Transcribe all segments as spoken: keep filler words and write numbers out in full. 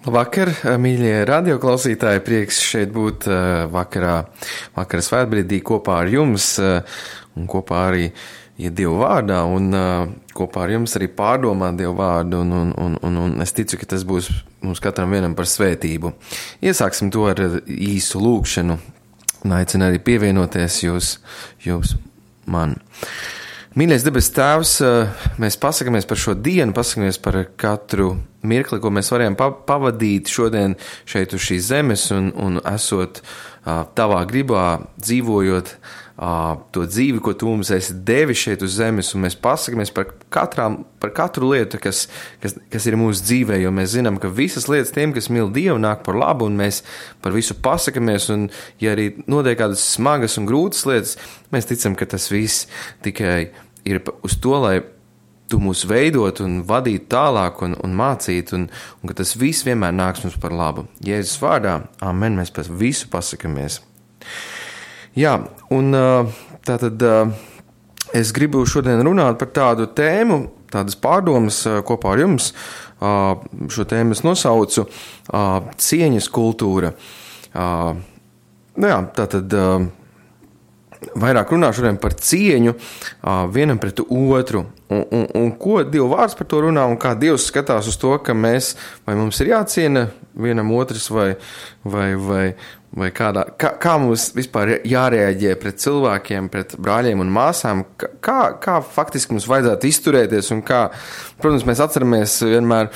Labvakar, mīļie radioklausītāji, prieks šeit būt vakarā, vakara svētbrīdī kopā ar jums un kopā arī ja Dievu vārdā un kopā ar jums arī pārdomāt Dievu vārdu un, un, un, un, un es ticu, ka tas būs mums katram vienam par svētību. Iesāksim to ar īsu lūgšanu un aicinu arī pievienoties jūs, jūs man. Mīļais debes Tēvs, mēs pasakamies par šo dienu, pasakamies par katru mirkli, ko mēs varējām pavadīt šodien šeit uz šīs zemes un, un esot tavā gribā, dzīvojot to dzīvi, ko tu mums esi devis šeit uz zemes, un mēs pasakamies par, katrām, par katru lietu, kas, kas, kas ir mūsu dzīvē, jo mēs zinām, ka visas lietas tiem, kas mīl Dievu, nāk par labu, un mēs par visu pasakamies, un ja arī notiek kādas smagas un grūtas lietas, mēs ticam, ka tas viss tikai ir uz to, lai tu mūs veidot un vadīt tālāk un, un mācīt, un, un ka tas viss vienmēr nāks mums par labu. Jēzus vārdā, amen, mēs par visu pasakamies. Jā, un tātad es gribu šodien runāt par tādu tēmu, tādas pārdomas kopā ar jums. Šo tēmu es nosaucu cieņas kultūra. Nu jā, tātad vairāk runāšu šodien par cieņu vienam pret otru. Un, un, un ko Dieva vārds par to runā un kā Dievs skatās uz to, ka mēs, vai mums ir jāciena vienam otrs vai, vai, vai, vai kādā, kā, kā mums vispār jārēģē pret cilvēkiem, pret brāļiem un māsām, kā, kā faktiski mums vajadzētu izturēties un kā, protams, mēs atceramies vienmēr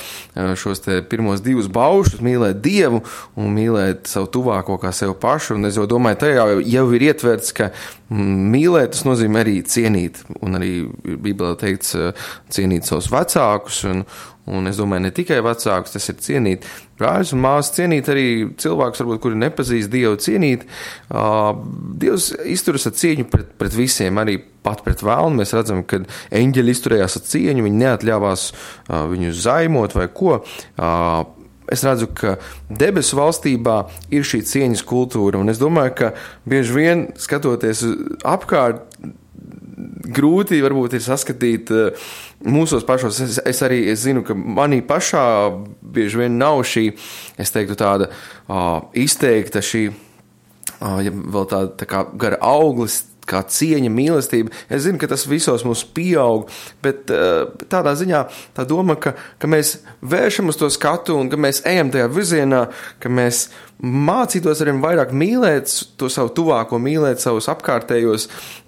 šos te pirmos divus baušus, mīlēt Dievu un mīlēt savu tuvāko kā sev pašu, un es jau domāju, tajā jau, jau ir ietverts, ka mīlēt, tas nozīmē arī cienīt, un arī Bībelē teikts cienīt savus vecākus, un, un es domāju, ne tikai vecākus, tas ir cienīt brāļus un māsas, cienīt arī cilvēkus, varbūt, kuri nepazīst Dievu, cienīt. Uh, Dievs izturas ar cieņu pret, pret visiem, arī pat pret vēlnu. Mēs redzam, ka eņģeļi izturējās ar cieņu, viņi neatļāvās uh, viņu zaimot vai ko. Uh, Es redzu, ka debesu valstībā ir šī cieņas kultūra, un es domāju, ka bieži vien skatoties apkārt, grūti varbūt ir saskatīt mūsos pašos. Es, es arī es zinu, ka manī pašā bieži vien nav šī, es teiktu, tāda uh, izteikta šī, uh, ja vēl tāda tā kā gara auglis, kā cieņa, mīlestība. Es zinu, ka tas visos mums pieaug, bet uh, tādā ziņā tā doma, ka, ka mēs vēršam uz to skatu un ka mēs ejam tajā virzienā, ka mēs mācītos arvien vairāk mīlēt to savu tuvāko, mīlēt savus apkārtējos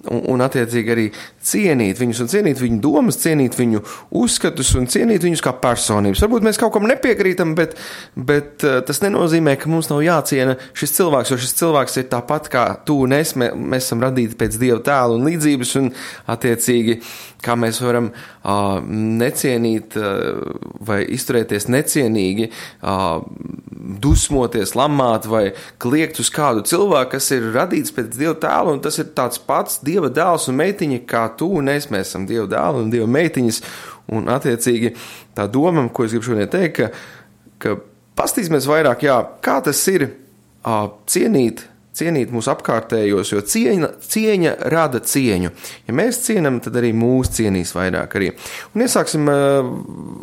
un, un attiecīgi arī cienīt viņus un cienīt viņu domas, cienīt viņu uzskatus un cienīt viņus kā personības. Varbūt mēs kaut kam nepiekrītam, bet, bet tas nenozīmē, ka mums nav jāciena šis cilvēks, jo šis cilvēks ir tāpat kā tu un es, mēs, mēs esam radīti pēc Dieva tēla un līdzības un attiecīgi, kā mēs varam uh, necienīt uh, vai izturēties necienīgi, uh, dusmoties, lamāt vai kliegt uz kādu cilvēku, kas ir radīts pēc Dieva tēla, un tas ir tāds pats Dieva dēls un meitiņa, kā tu un es, mēs esam Dieva dēli un Dieva meitiņas, un attiecīgi tā doma, ko es gribu šodien teikt, ka, ka pastīsimies vairāk, jā, kā tas ir uh, cienīt, cienīt mūsu apkārtējos, jo cieņa, cieņa rada cieņu. Ja mēs cienam, tad arī mūs cienīs vairāk arī. Un iesāksim uh,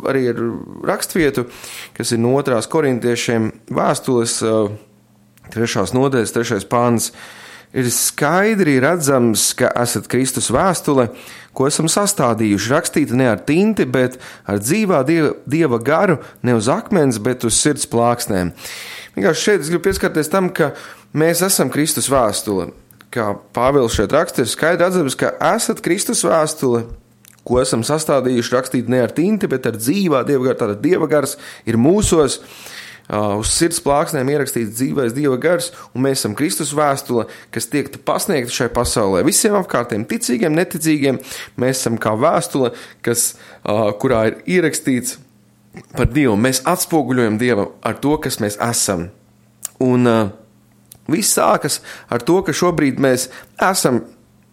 arī ar rakstvietu, kas ir no otrās korintiešiem vēstules, uh, trešās nodaļas, trešais pāns. Ir skaidri redzams, ka esat Kristus vēstule, ko esam sastādījuši, rakstīta ne ar tinti, bet ar dzīvā dieva, dieva garu, ne uz akmens, bet uz sirds plāksnēm. Vienkārši šeit es gribu pieskarties tam, ka mēs esam Kristus vēstule. Kā Pāvils šeit raksta, ir skaidri redzams, ka esat Kristus vēstule, ko esam sastādījuši, rakstīt ne ar tinti, bet ar dzīvā Dieva garu. Tātad Dieva gars ir mūsos, uh, uz sirds plāksnēm ierakstīts dzīvais Dieva gars, un mēs esam Kristus vēstule, kas tiek pasniegta šai pasaulē. Visiem apkārtiem, ticīgiem, neticīgiem, mēs esam kā vēstule, kas, uh, kurā ir ierakstīts par Dievu. Mēs atspoguļojam Dievu ar to, kas mēs esam. Un uh, viss sākas ar to, ka šobrīd mēs esam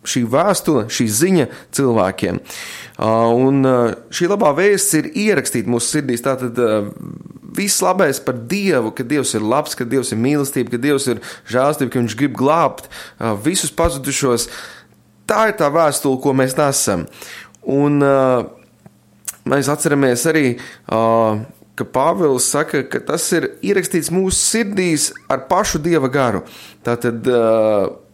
šī vēstule, šī ziņa cilvēkiem. Uh, un uh, šī labā vēsts ir ierakstīta mūsu sirdīs. Tātad uh, viss labais par Dievu, ka Dievs ir labs, ka Dievs ir mīlestība, ka Dievs ir žēlstība, ka Viņš grib glābt uh, visus pazudušos. Tā ir tā vēstule, ko mēs nesam. Un uh, mēs atceramies arī uh, ka Pāvils saka, ka tas ir ierakstīts mūsu sirdīs ar pašu Dieva garu. Tātad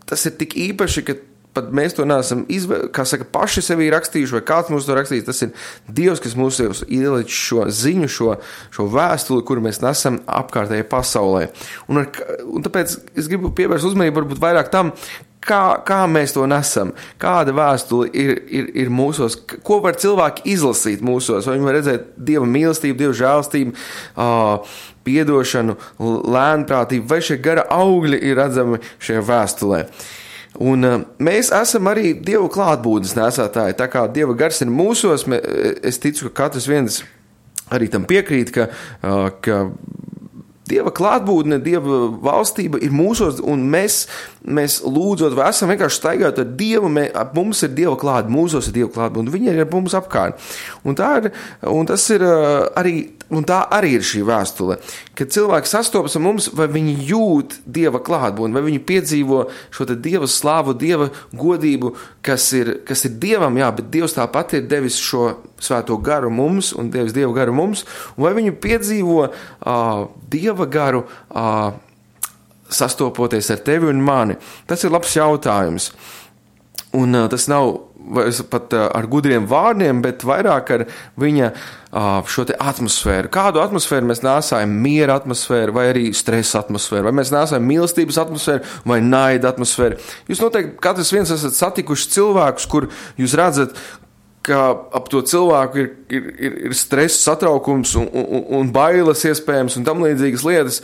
tas ir tik īpaši, ka pat mēs to neesam, izvē, kā saka, paši sevī rakstījuši, vai kāds mums to rakstījis, tas ir Dievs, kas mūs ielicis šo ziņu, šo, šo vēstuli, kuru mēs nesam apkārtējai pasaulē. Un, ar, un tāpēc es gribu pievērst uzmanību varbūt vairāk tam, kā, kā mēs to nesam, kāda vēstuli ir, ir, ir mūsos, ko var cilvēki izlasīt mūsos, vai viņi var redzēt Dieva mīlestību, Dieva žēlstību, uh, piedošanu, lēnprātību, vai šie gara augļi ir redzami šajā vēstulē. Un uh, mēs esam arī Dieva klātbūtnes nesātāji, tā kā Dieva gars ir mūsos, mē, es ticu, ka katrs viens arī tam piekrīt, ka, uh, ka Dieva klātbūtne, Dieva valstība ir mūsos, un mēs, mēs lūdzot, vai esam vienkārši staigājot ar Dievu, mē, mums ir Dieva klāt, mūsos ir Dieva klātbūtne, un viņi ir ar mums apkārt. Un tā ir, un tas ir arī, un tā arī ir šī vēstule, kad cilvēki sastopas ar mums, vai viņi jūt Dieva klātbūtni, vai viņi piedzīvo šo te Dieva slāvu, Dieva godību, kas ir, kas ir Dievam, jā, bet Dievs tāpat ir devis šo svēto garu mums, un devis Dieva garu mums, un vai viņi piedzīvo uh, Dieva garu uh, sastopoties ar tevi un mani. Tas ir labs jautājums. Un uh, tas nav pat uh, ar gudriem vārdiem, bet vairāk ar viņa uh, šo te atmosfēru. Kādu atmosfēru mēs nēsājam? Miera atmosfēru vai arī stresa atmosfēru? Vai mēs nēsājam mīlestības atmosfēru vai naida atmosfēru? Jūs noteikti katrs viens esat satikuši cilvēkus, kur jūs redzat, ka ap to cilvēku ir, ir, ir, ir stress, satraukums un, un, un bailes iespējams un tam līdzīgas lietas.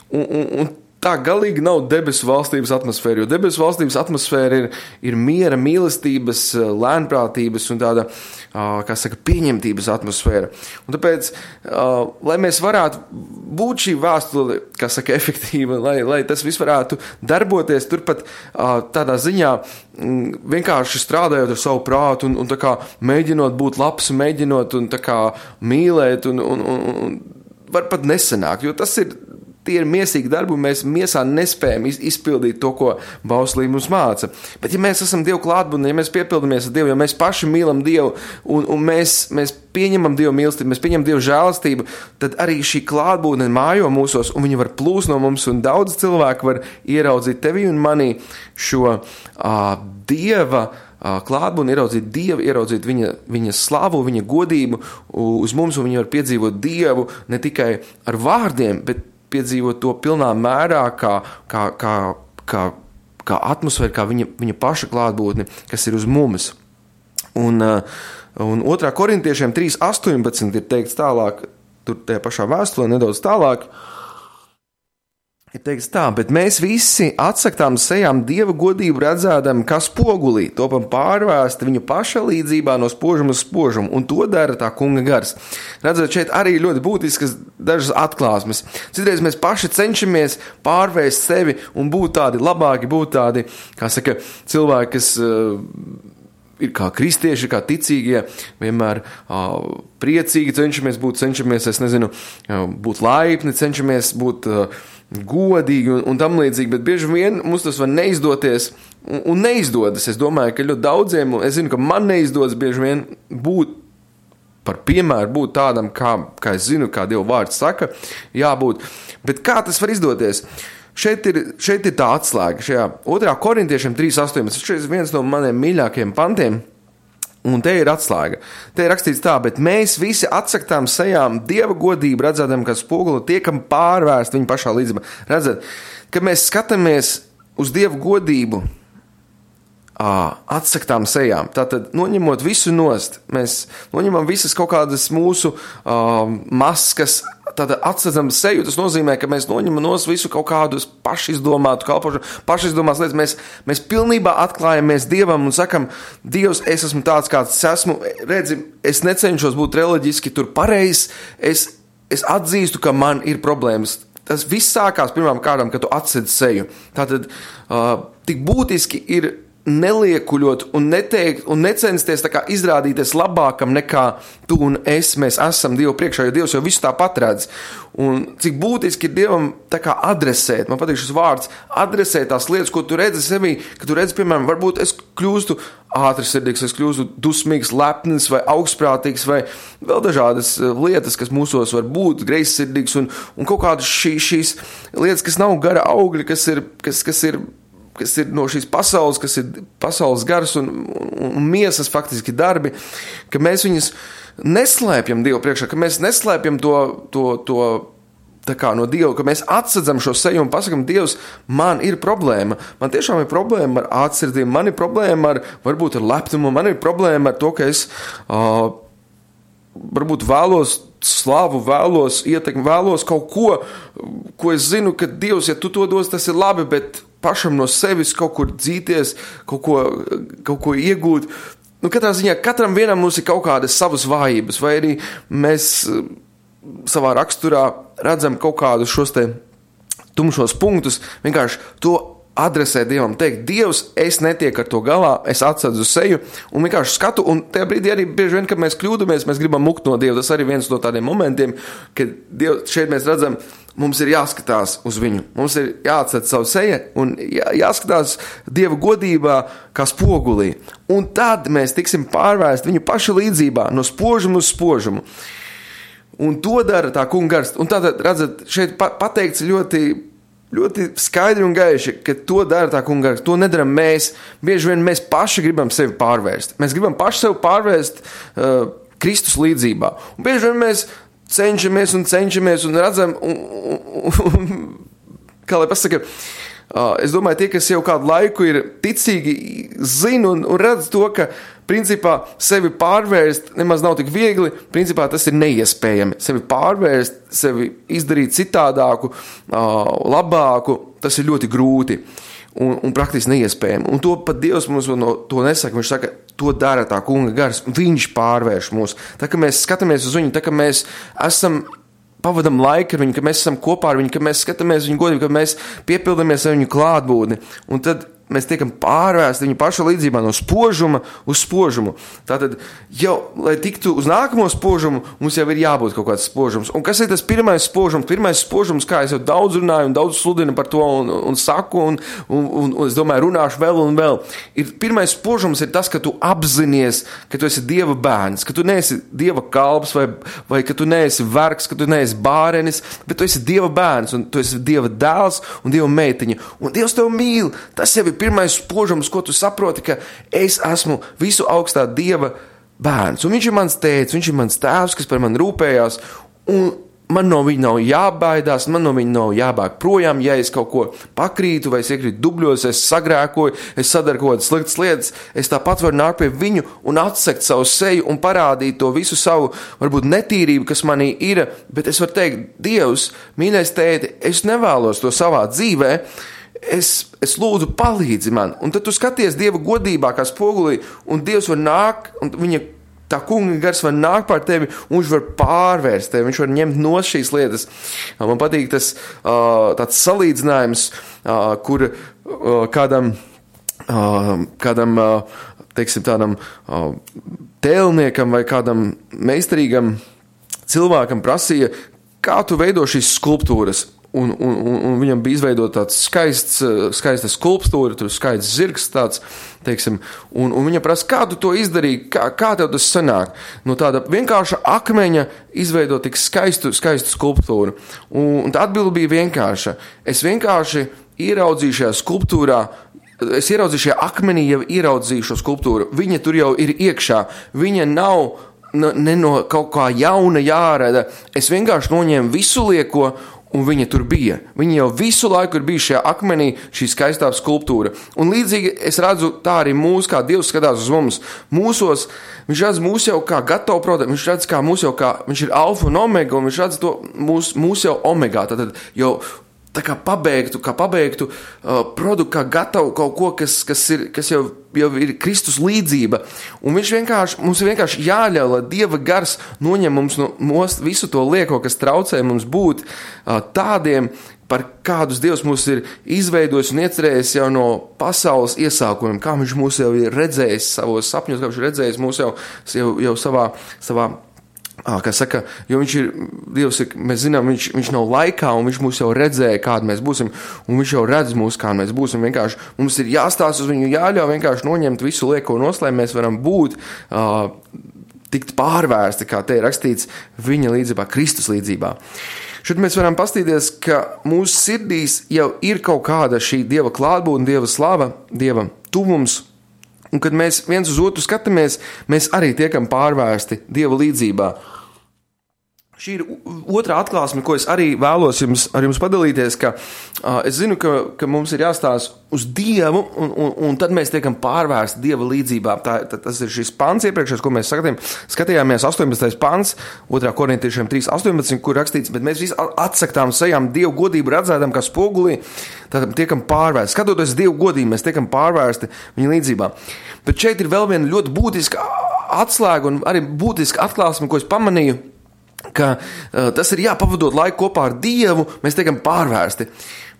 Un, un, un tā galīgi nav debesu valstības atmosfēra, jo debesu valstības atmosfēra ir, ir miera, mīlestības, lēnprātības un tāda, kā saka, pieņemtības atmosfēra. Un tāpēc, lai mēs varētu būt šī vēstule, kā saka, efektīva, lai, lai tas viss varētu darboties, turpat tādā ziņā vienkārši strādājot ar savu prātu un, un tā kā mēģinot būt labs, mēģinot un tā kā mīlēt un, un, un, un var pat nesanākt, jo tas ir tie ir miesīgi darbi, un mēs miesā nespējam izpildīt to, ko bauslība mums māca. Bet ja mēs esam Dievu klātbūtnē, ja mēs piepildamies ar Dievu, ja mēs paši mīlam Dievu, un, un mēs, mēs pieņemam Dievu mīlestību, mēs pieņemam Dievu žēlastību, tad arī šī klātbūtne mājo mūsos, un viņi var plūst no mums, un daudz cilvēku var ieraudzīt tevi un manī šo uh, Dieva klātbūtni, ieraudzīt Dievu, ieraudzīt viņa, viņa slavu, viņa godību uz mums, un viņi var piedzīvot Dievu ne tikai ar vārdiem, bet piedzīvot to pilnā mērā, kā, kā, kā, kā, kā atmosfēra, kā viņa, viņa paša klātbūtne, kas ir uz mums. Un, un otrā korintiešiem trīs astoņpadsmit ir teikts tālāk, tur tajā pašā vēstulē nedaudz tālāk, ir teikts tā, bet mēs visi atsaktām sejām Dieva godību redzēdam, kā spogulī, topam pārvērsti viņa paša līdzībā no spožuma uz spožumu, un to dara tā kunga gars. Redzat, šeit arī ļoti būtiskas dažas atklāsmes. Citreiz mēs paši cenšamies pārvērst sevi un būt tādi labāki, būt tādi, kā saka, cilvēki, kas uh, ir kā kristieši, kā ticīgie, vienmēr uh, priecīgi cenšamies būt, cenšamies, es nezinu, uh, būt laipni, cenšamies būt uh, godīgi un, un tam līdzīgi, bet bieži vien mums tas var neizdoties un, un neizdodas. Es domāju, ka ļoti daudziem, es zinu, ka man neizdodas bieži vien būt par piemēru, būt tādam, kā, kā es zinu, kā Dieva vārds saka, jābūt. Bet kā tas var izdoties? Šeit ir, šeit ir tā atslēga, šajā otrā korintiešiem trīs astoņpadsmit, šeit ir viens no maniem mīļākajiem pantiem, un te ir atslēga. Te ir rakstīts tā, bet mēs visi atsaktām sejām Dieva godību, redzēdam, ka spoguli tiekam pārvērst viņa pašā līdzībā. Redzat, kad mēs skatāmies uz Dieva godību, atsaktām sejām, tātad noņemot visu nost, mēs noņemam visas kaut kādas mūsu uh, maskas, tātad atsadzam seju, tas nozīmē, ka mēs noņemam nost visu kaut kādus pašizdomātu kalpošanu, pašizdomās lietas, mēs, mēs pilnībā atklājamies Dievam un sakam, Dievs, es esmu tāds, kāds esmu, redzi, es necenšos būt reliģiski tur pareizs, es, es atzīstu, ka man ir problēmas. Tas viss sākās pirmām kārtām, kad tu atsedz seju. Tātad uh, tik būtiski ir neliekuļot un neteikt un necensties tā kā izrādīties labākam nekā tu un es, mēs esam Dievu priekšā, jo Dievs jau visu tāpat redz. Un cik būtiski ir Dievam tā kā adresēt, man patīk šis vārds, adresēt tās lietas, ko tu redzi sevī, ka tu redzi, piemēram, varbūt es kļūstu ātrsirdīgs, es kļūstu dusmīgs, lepns vai augstprātīgs vai vēl dažādas lietas, kas mūsos var būt, greizsirdīgs un, un kaut kādas šī, šīs lietas, kas nav gara augļi, kas ir, kas, kas ir, kas ir no šīs pasaules, kas ir pasaules gars un, un, un miesas faktiski darbi, ka mēs viņus neslēpjam Dievu priekšā, ka mēs neslēpjam to, to, to tā kā no Dieva, ka mēs atsadzam šo seju un pasakam, Dievs, man ir problēma. Man tiešām ir problēma ar ātrsirdību, man ir problēma ar, varbūt ar lepnumu, man ir problēma ar to, ka es uh, varbūt vēlos slavu, vēlos ietekmi, vēlos kaut ko, ko es zinu, ka Dievs, ja tu to dos, tas ir labi, bet pašam no sevis kaut kur dzīties, kaut ko, kaut ko iegūt. Nu, katrā ziņā, katram vienam mums ir kaut kādas savas vājības, vai arī mēs savā raksturā redzam kaut kādus šos te tumšos punktus, vienkārši to adresē Dievam, teikt, Dievs, es netieku ar to galā, es atsadzu seju un vienkārši skatu, un tajā brīdī arī bieži vien, kad mēs kļūdamies, mēs gribam mukt no Dieva, tas arī viens no tādiem momentiem, kad Dievs, šeit mēs redzam, mums ir jāskatās uz viņu, mums ir jāatsad savu seju un jā, jāskatās Dieva godībā kā spogulī, un tad mēs tiksim pārvērst viņu paša līdzībā, no spožuma uz spožumu. Un to dara tā kunga gars. Un tātad, redzat, šeit pateikts ļoti, ļoti skaidri un gaiši, ka to dara tā kunga gars. To nedaram mēs. Bieži vien mēs paši gribam sevi pārvērst. Mēs gribam paši sevi pārvērst uh, Kristus līdzībā. Un bieži vien mēs cenšamies un cenšamies un redzam, un, un, un, kā lai pasaka, uh, es domāju, tie, kas jau kādu laiku ir ticīgi, zina un, un redz to, ka principā sevi pārvērst nemaz nav tik viegli, principā tas ir neiespējami. Sevi pārvērst, sevi izdarīt citādāku, labāku, tas ir ļoti grūti un, un praktiski neiespējami. Un to pat Dievs mums no to nesaka, viņš saka, to dara tā kunga gars, viņš pārvērš mūs. Tā, ka mēs skatāmies uz viņu, tā, ka mēs esam pavadam laiku ar viņu, ka mēs esam kopā ar viņu, ka mēs skatāmies viņu godību, ka mēs piepildamies ar viņu klātbūtni. Un tad mēs tiekam pārvērsti viņa paša līdzībā no spožuma uz spožumu. Tātad jau, lai tiktu uz nākamo spožumu, mums jau ir jābūt kaut kāds spožums. Un kas ir tas pirmais spožums? Pirmais spožums, kā es jau daudz runāju un daudz sludinu par to un, un saku un, un, un, un es domāju, runāšu vēl un vēl. Ir, pirmais spožums ir tas, ka tu apzinies, ka tu esi Dieva bērns, ka tu neesi Dieva kalps vai, vai ka tu neesi vergs, ka tu neesi bārenis, bet tu esi Dieva bērns un tu esi Dieva dēls un Dieva meitiņa. Un Dievs tev mīl. Tas jau ir pirmais spožums, ko tu saproti, ka es esmu visu augstā Dieva bērns. Un viņš ir mans tēvs, viņš ir mans tēvs, kas par mani rūpējās, un man no viņa nav jābaidās, man no viņa nav jābāk projām, ja es kaut ko pakrītu, vai es iekrītu dubļos, es sagrēkoju, es sadaru kaut kādas sliktas lietas, es tāpat varu nākt pie viņu un atsekt savu seju un parādīt to visu savu, varbūt netīrību, kas manī ir, bet es varu teikt, Dievs, mīļais tēti, es nevēlos to savā dzīvē, Es, es lūdzu palīdzi man, un tad tu skaties Dieva godībā kā spogulī, un Dievs var nākt, un viņa tā kunga gars var nākt pār tevi, un viņš var pārvērst tevi, viņš var ņemt no šīs lietas. Man patīk tas tāds salīdzinājums, kur kādam, kādam teiksim, tādam tēlniekam vai kādam meistarīgam cilvēkam prasīja, kā tu veido šīs skulptūras. Un, un, un viņam bija izveidot tāds skaists, skaista skulptūra, tur skaists zirgs tāds, teiksim, un, un viņam prasa, kā tu to izdarīji, kā, kā tev tas sanāk? No tāda vienkārša akmeņa izveidot tik skaistu, skaistu skulptūru. Un, un tā atbilde bija vienkārša. Es vienkārši ieraudzīju šajā skulptūrā, es ieraudzīju šajā akmenī, jau ieraudzīju šo skulptūru. Viņa tur jau ir iekšā, viņa nav no, ne no kaut kā jauna jārada. Es vienkārši noņēmu visu lieko, un viņa tur bija. Viņa jau visu laiku ir bijusi šajā akmenī, šī skaistā skulptūra. Un līdzīgi es redzu tā arī mūs, kā Dievs skatās uz mums. Mūsos, viņš redz mūs jau kā gatavu produktu, viņš redz kā mūs jau kā, viņš ir alfa un omega, un viņš redz to mūs, mūs jau omegā, tātad jau tā kā pabeigtu, kā pabeigtu uh, produktu, kā gatavu kaut ko, kas, kas, ir, kas jau, jau ir Kristus līdzība. Un viņš vienkārši, mums ir vienkārši jāļauj, lai Dieva gars noņem mums no most visu to lieko, kas traucē mums būt uh, tādiem, par kādus Dievs mūs ir izveidojis un iecerējis jau no pasaules iesākumiem, kā viņš mūs jau ir redzējis savos sapņos, kā viņš ir redzējis mūs jau, jau, jau savā, savā Kā saka, jo viņš ir, Dievs ir, mēs zinām, viņš, viņš nav laikā, un viņš mūs jau redzēja, kādi mēs būsim, un viņš jau redz mūs, kā mēs būsim. Vienkārši mums ir jāstāsta uz viņu, jāļauj vienkārši noņemt visu lieko nost, lai mēs varam būt, uh, tikt pārvērsti, kā te ir rakstīts, viņa līdzībā, Kristus līdzībā. Šeit mēs varam pastīties, ka mūsu sirdīs jau ir kaut kāda šī Dieva klātbūtne, Dieva slava, Dieva tuvums, un kad mēs viens uz otru skatāmies, mēs arī tiekam pārvērsti Dieva līdzībā. Šī ir otrā atklāsme, ko es arī vēlos jums, ar jums padalīties, ka uh, es zinu, ka, ka mums ir jāstāsta uz Dievu, un, un, un tad mēs tiekam pārvērsti Dieva līdzībā. Tā, tā, tas ir šis pants iepriekšējais, ko mēs skatījām, skatījāmies astoņpadsmitais pants, otrā korintiešiem trīs astoņpadsmit, kur rakstīts, bet mēs visi atsaktām sejām Dievu godību redzētam, kā spogulī, tad tiekam pārvērsti. Skatoties Dievu godību, mēs tiekam pārvērsti viņa līdzībā. Bet šeit ir vēl viena ļoti būtiska atslēga un arī būtiska atklāsme, ko es pamanīju, ka uh, tas ir jāpavadot laiku kopā ar Dievu, mēs tiekam pārvērsti.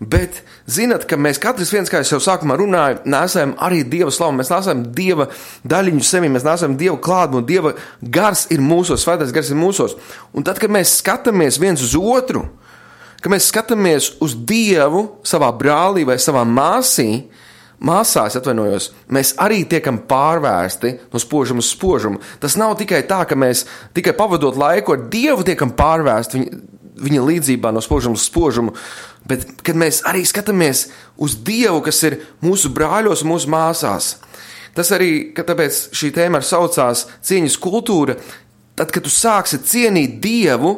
Bet zinat, ka mēs katrs viens, kā es jau sākumā runāju, nesam arī Dieva slavu, mēs nesam Dieva daļiņu sevi, mēs nesam Dieva klātbūtni, Dieva gars ir mūsos, svētais gars ir mūsos. Un tad, kad mēs skatāmies viens uz otru, kad mēs skatāmies uz Dievu savā brālī vai savā māsī, Māsās, atvainojos, mēs arī tiekam pārvērsti no spožuma uz spožumu. Tas nav tikai tā, ka mēs tikai pavadot laiku ar Dievu tiekam pārvērsti viņa, viņa līdzībā no spožuma uz spožumu, bet kad mēs arī skatāmies uz Dievu, kas ir mūsu brāļos un mūsu māsās. Tas arī, ka tāpēc šī tēma ar saucās cieņas kultūra, tad, kad tu sāksi cienīt Dievu,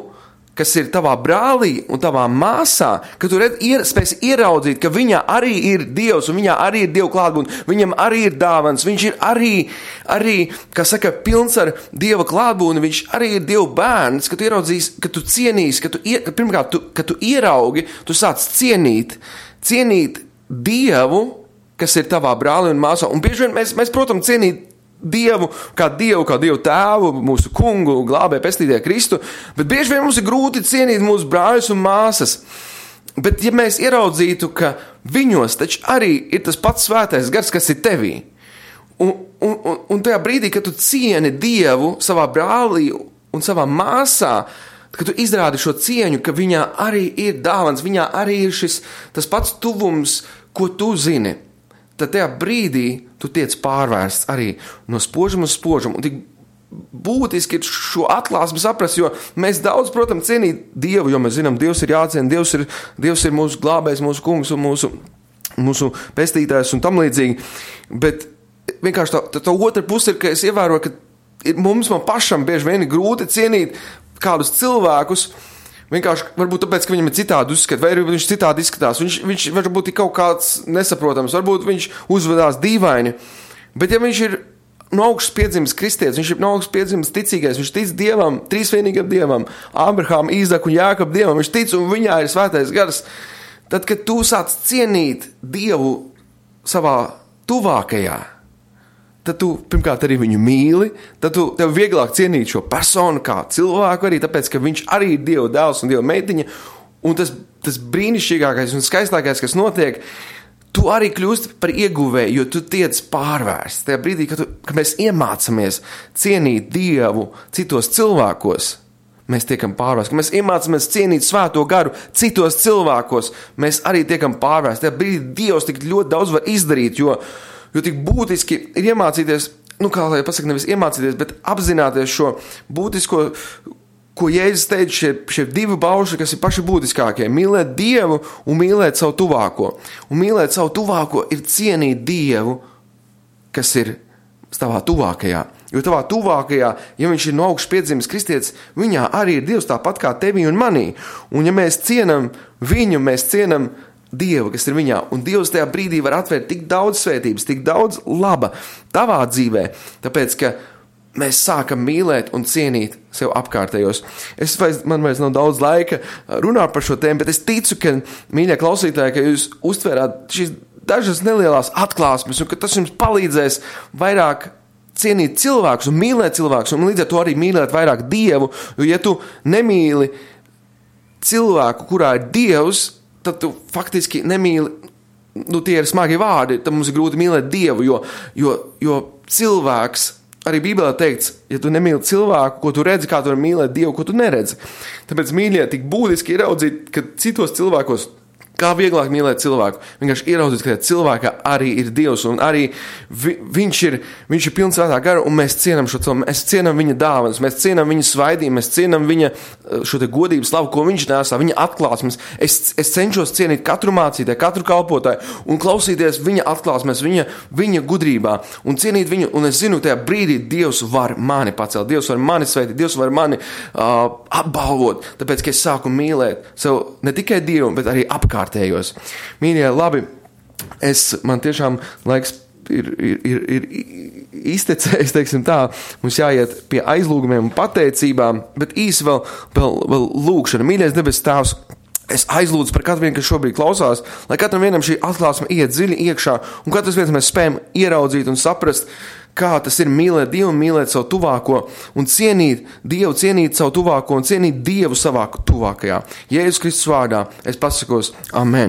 kas ir tavā brālī un tavā māsā, ka tu red, ier, spēsi ieraudzīt, ka viņā arī ir Dievs un viņā arī ir Dieva klātbūtne, viņam arī ir dāvans, viņš ir arī, arī, kā saka, pilns ar Dieva klātbūtni, viņš arī ir Dieva bērns, ka tu ieraudzīs, ka tu cienīs, ka tu, ka pirmkārt, tu, ka tu ieraugi, tu sāc cienīt, cienīt Dievu, kas ir tavā brālī un māsā, un bieži vien mēs, mēs protams, cienīt Dievu, kā Dievu, kā Dievu tēvu, mūsu kungu, glābē, pestītāju Kristu, bet bieži vien mums ir grūti cienīt mūsu brāļus un māsas. Bet ja mēs ieraudzītu, ka viņos taču arī ir tas pats svētais gars, kas ir tevī, un, un, un, un tajā brīdī, kad tu cieni Dievu savā brālī un savā māsā, kad tu izrādi šo cieņu, ka viņā arī ir dāvans, viņā arī ir šis tas pats tuvums, ko tu zini, tad tajā brīdī tu tiec pārvērsts arī no spožuma uz spožumu. Un tik būtiski ir šo atklāsmi saprast, jo mēs daudz, protams, cienīt Dievu, jo mēs zinām, Dievs ir jāciena, Dievs ir, Dievs ir mūsu glābējs, mūsu kungs un mūsu, mūsu pestītājs un tam līdzīgi. Bet vienkārši tā, tā, tā otra puse ir, ka es ievēroju, ka ir, mums man pašam bieži vien ir grūti cienīt kādus cilvēkus, vienkārši varbūt tāpēc, ka viņam ir citādi uzskat, vai viņš citādi izskatās. Viņš, viņš varbūt ir kaut kāds nesaprotams, varbūt viņš uzvedās dīvaini. Bet ja viņš ir no augšas piedzimis kristietis, viņš ir no augšas piedzimis ticīgais, viņš tic Dievam, trīsvienīgam Dievam, Ābrahām, Īzaku un Jākabu Dievam, viņš tic un viņā ir svētais gars. Tad, kad tu sāc cienīt Dievu savā tuvākajā, tad tu pirmkārt arī viņu mīli, tad tu tev vieglāk cienīt šo personu kā cilvēku arī, tāpēc, ka viņš arī ir Dieva dēls un Dieva meitiņa, un tas, tas brīnišķīgākais un skaistākais, kas notiek, tu arī kļūst par ieguvēju, jo tu tiec pārvērsts. Tajā brīdī, kad, tu, kad mēs iemācamies cienīt Dievu citos cilvēkos, mēs tiekam pārvērsti. Kad mēs iemācamies cienīt svēto garu citos cilvēkos, mēs arī tiekam pārvērsti. Tajā brīdī Dievs tik ļoti daudz var izdarīt, jo Jo tik būtiski ir iemācīties, nu kā lai pasaka, nevis iemācīties, bet apzināties šo būtisko, ko Jēzus teica, šie, šie divi baušļi, kas ir paši būtiskākie. Mīlēt Dievu un mīlēt savu tuvāko. Un mīlēt savu tuvāko ir cienīt Dievu, kas ir tavā tuvākajā. Jo tavā tuvākajā, ja viņš ir no augšas piedzimis kristietis, viņā arī ir Dievs tāpat kā tevī un manī. Un ja mēs cienam viņu, mēs cienam Dievu, kas ir viņā, un Dievs tajā brīdī var atvērt tik daudz svētības, tik daudz laba tavā dzīvē, tāpēc, ka mēs sākam mīlēt un cienīt sev apkārtējos. Es vairs, man vairs nav daudz laika runāt par šo tēmu, bet es ticu, ka, mīļie klausītāji, ka jūs uztvērāt šīs dažas nelielās atklāsmes, un ka tas jums palīdzēs vairāk cienīt cilvēkus un mīlēt cilvēkus, un līdz ar to arī mīlēt vairāk Dievu, jo ja tu nemīli cilvēku, kurā ir Dievs, tad tu faktiski nemīli, nu tie ir smagi vārdi, tad mums ir grūti mīlēt Dievu, jo, jo, jo cilvēks arī Bībelē teikts, ja tu nemīli cilvēku, ko tu redzi, kā tu vari mīlēt Dievu, ko tu neredzi. Tāpēc, mīļie, tik būtiski ieraudzīt, ka citos cilvēkos, kā vieglāk mīlēt cilvēku, vienkārši ieraudzīt, ka cilvēkā arī ir Dievs, un arī vi, viņš ir, viņš ir pilns svētā gara, un mēs cienam šo cilvēku, mēs cienam viņa dāvanas, mēs cienam viņa svaidību, mēs cienam viņa šo te godības slavu, ko viņš nesā, viņa atklāsmes. Es, es cenšos cienīt katru mācītāju, katru kalpotāju, un klausīties viņa atklāsmes, viņa, viņa gudrībā, un cienīt viņu, un es zinu, tajā brīdī Dievs var mani pacelt, Dievs var mani sveitīt, Dievs var mani uh, apbalvot, tāpēc, ka es sāku mīlēt sev ne tikai Dievu, bet arī apkārt. Mīļie, labi, es, man tiešām laiks ir, ir, ir, ir iztecējis, teiksim tā, mums jāiet pie aizlūgumiem un pateicībām, bet īsi vēl, vēl, vēl lūgšana. Mīļais debes Tēvs, es aizlūdzu par katru vienu, kas šobrīd klausās, lai katram vienam šī atklāsme iet dziļi iekšā, un katrs viens mēs spējam ieraudzīt un saprast, kā tas ir mīlēt Dievu un mīlēt savu tuvāko, un cienīt Dievu, cienīt savu tuvāko un cienīt Dievu savā tuvākajā. Jēzus Kristus vārdā es pasakos, amen.